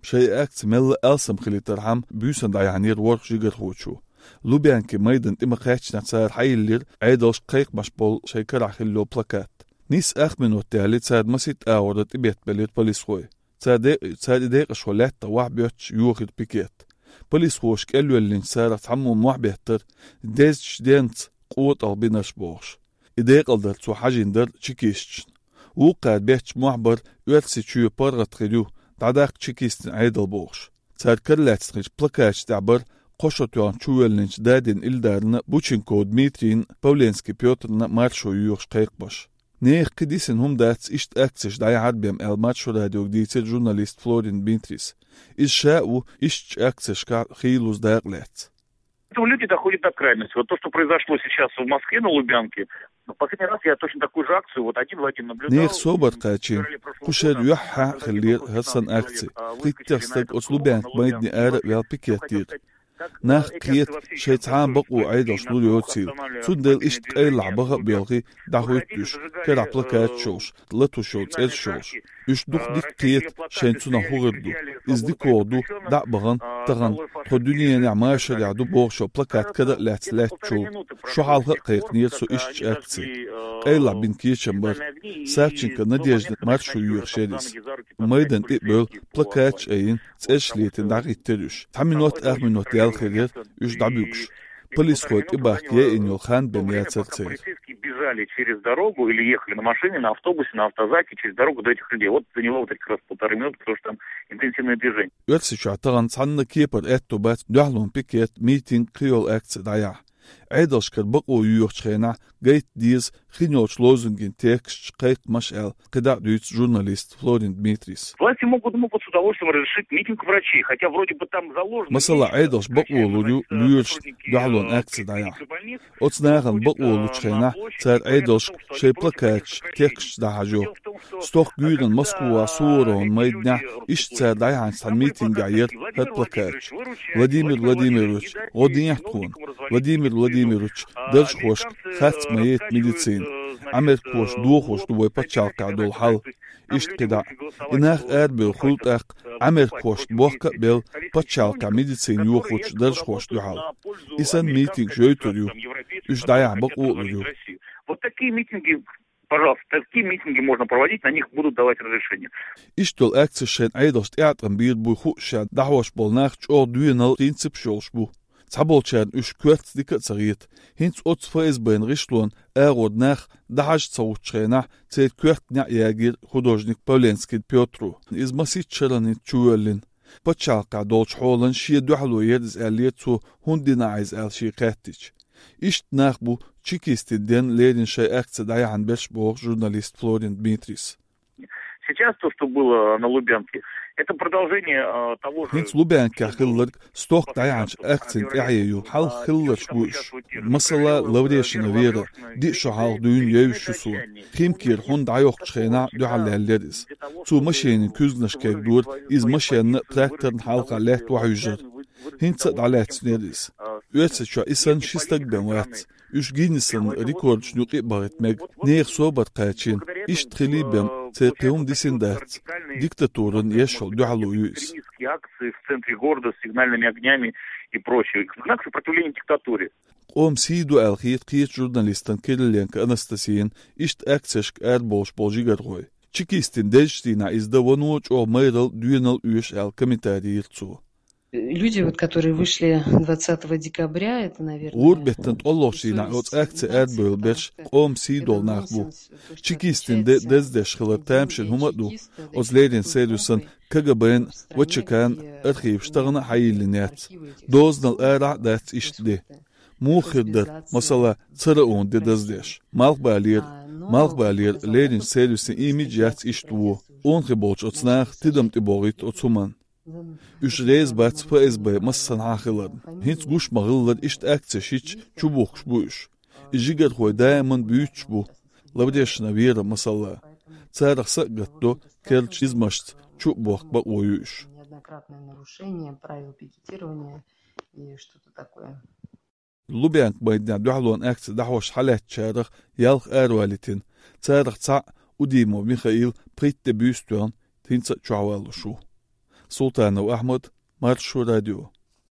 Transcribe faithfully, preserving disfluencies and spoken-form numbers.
Шоай акци мелла а алсам хилийтархьама, буьйсанна дӀаяхьийра ворхӀ жигархочо. Лубянки майдан тӀа ма кхаьчча цара хьайиллира Ӏедалшка кхайкхамаш болу шоай карахь хилла йолу плакат. Нийсса ах минот яьлча цара масийтта агӀор тӀебеттабелира полисхой. Цара де-, цара и декъашхо лаьттах вахьа боьттуш йохийра пикет. Полисхоша кӀелвеллинчу царах цхьаммо мохьбеттара, дезачу денца къотӀалгӀа бинарш бохуш. И декъалдар цо хьажийна дара чекисташна. Вукхара бетташ мохь бара, Оьрсийчоь паргӀат хир ю, дӀадаккха чекистийн Ӏедал бохуш. Цара каралаьцна хиллачу плакаташ тӀехь бара кхо шо тоьхна чувоьллинчу Дадин Илдарна, Бученков Дмитрийна, Павленский Пётрна маршо йоьхуш кхайкхамаш. Нехан кхин дисина хӀума дац иштта акцеш дӀаяхьар бен аьлла, Маршо радиога дийцира журналист Флорин Дмитрийс. Иза ша а ву ишттачу акцешкахь хийлаза дакъа лаьцна. Поэтому люди доходят до крайности. Вот то, что произошло сейчас в Москве на Лубянке, ну, последний раз я точно такую же акцию, вот один в один наблюдал. Нехан собар кхачийна, кху шарахь юьххьехь а хиллера хӀара санна акци. ПхийттӀа стаг оцу Лубянка майдане ара а ваьлла пикет дира. Нах кхета, шайн цхьа а бакъо Ӏедалша лур йоцийла. Цундела иштта къайлахь баха а боьлхий, дӀахӀуьтту уьш, карахь плакаташ йолуш, латош йолу цӀераш йолуш. Уьш дукха дика кхета, шайна цунах хӀун хир ду. Иза дикагӀа ду, дӀа а бахана, тахана тхо дуьненахь машарехь ду бохуш йолу плакат кара а лаьцна лаьттачул. Шо хьалха а кхайкхинера со ишттачу акци. Къайлахь бина кечам бара. Савченко Надеждина маршо йоьхуш яра иза. Майдан тӀе а бевлла, плакаташ а айина, цӀераш летийна дӀахӀиттира уьш. Цхьа минот, ах минот яьлла хир яра уьш дӀабуьгуш. Полисхой тӀебахка яйина йолу хан бен яцара церан. Полицейские бежали через дорогу или ехали на машине, на автобусе, на автозаке через дорогу до этих людей. Вот заняло вот этих раз полторы минуты, потому что там интенсивное движение. Оьрсийчохь тахана цхьанна кепара аьтто бац дуьхьалонан пикет, митинг, кхин йолу акци дӀаяхьа. Ӏедалшкара бакъо йоьхучу хенахь гайта деза хин йолчу лозунган тексташ, кхайкхамаш аьлла, кхидӀа а дуьйцу журналист Флорин Дмитрийс. Власти могут, могут с удовольствием разрешить митинг врачей, хотя вроде бы там заложено. Масала, Ӏедалша бакъо лур ю лоьрашна дуьхьалонан акци дӀаяхьа. Оцу нахана бакъо лучу хенахь цара Ӏедалшка шайн плакаташ, тексташ дӀахьажо. Стохка гуьйранна Москвахь Суворовн майданехь иштта цара дӀаяхьначу цхьана митингехь яра хӀара плакаташ. Владимир Владимирович, гӀо дехьа тхуна. Владимир Владимирович, даржхошка харц ма яйта медицина. Ӏамеркахоша дохош ду вай пачхьалкхехь долу хьал. Иштта кхидӀа. И нах арабевлла хуьлу тӀаккха Ӏамеркахошна бохка а белла пачхьалкхехь медицина йохочу даржхошна дуьхьал. И санна митингаш йойтур ю. Уьш дӀаяхьа бакъо а лур ю. Вот такие митинги, пожалуйста, такие митинги можно проводить, на них будут давать разрешение. Иштта долу акцеш шайн Ӏедалша тӀеӀаткъам бийр буй хууш, ша дӀахьош болу нах чӀогӀа доьналла принципаш йолуш бу. Цхьаболчарна уьш коьртаца дика а ца хета. ХӀинца оцу ФСБ-н гӀишлонан агӀор нах дӀахьажа ца гӀуттучу хенахь, церан коьрта неӀ ягийра художник Павленский Пётро. Иза масийтта шарахь хӀинца чувоьллина. Пачхьалкхехь долчу хьолан шен дуьхьало яра иза аьллера цо, хӀунда дина Ӏа иза аьлла шен хаьттича. Иштта нах бу чекистийн денна леррина шайн акци дӀаяхьна берш боху журналист Флорин Дмитрийс. Сейчас то, что было на Лубянке, это продолжение, э, того же. ХӀинца Лубянкехь хилларг стохка дӀаяхьначу акцин тӀаьхье ю. Хьалха хилларш бу уьш. Масала, Лаврешина Вера, диъ шо хьалха дуьйна евзаш ю суна. Химкера хӀунда дӀайоккхучу хенахь дуьхьал лаьллера иза. Цо машенийн куьзганаш кегдора, иза машенна а, тракторна хьалха лаьтта охьаьвжира. ХӀинца а дӀалаьцнера иза. Оьрсийчохь и санна ши стаг бен вац. Уьш Гиннессан рекордашна юкъа а бахийта мега. Нехан собар кхачийна. Иштта хилий бен, церан кхин хӀума дисина дац. Диктатуран еш йолу дуьхьало ю иза. Акции в центре города с сигнальными огнями и прочее. Знак сопротивления диктатуре. Къоман сий ду аьлла хета кхечу журналистана Кириленко Анастасияна иштта акцешка арабовлуш болу жигархой. Чекистийн дезачу дийнахь иза дан вано чӀогӀа майралла, доьналла оьшу аьлла комментарий йира цо. Люди, вот, которые вышли двадцатого декабря, это, наверное, гӀуран беттан ткъолгӀачу дийнахь оцу акци арабевлла берш къоман сий долу нах бу. Чекистийн де дездеш хилар тамашийна хӀума а ду. Оцу леррина сервисан, КГБ-н, ВЧК-н архиваш тахана а хьайиллина яц. Дозанал арахь а дац иштта де. Муха хир дара, масала, цара онан де даздеш? Малхбалера, малхбалера лерринчу сервисан имидж яц иштта вон. Онан хи болчу оцу наха тидам тӀебогӀуьйту оцу хӀуманна. Уьш реза бац ФСБ массанхьа хиларна. ХӀинца гуш ма-хиллара иштта акцеш йича чубухкуш бу уьш. И жигархой даиман буьйцуш бу. Лаврешина Вера, масала. Царах са а гатдо, керлачу низамашца чу а бохка бакъо ю уьш. Неоднократное нарушение правил пикетирования и что-то такое. Лубянка майданехь дуьхьалонан акци дӀахьош хьалаьцначарах ялх аравалийтина. Царах цхьаъ, Удимов Михаил, пхийтта де буьйса тоьхна, хӀинца а чохь валлуш ву. Султанов Ахьмад, Маршо радио.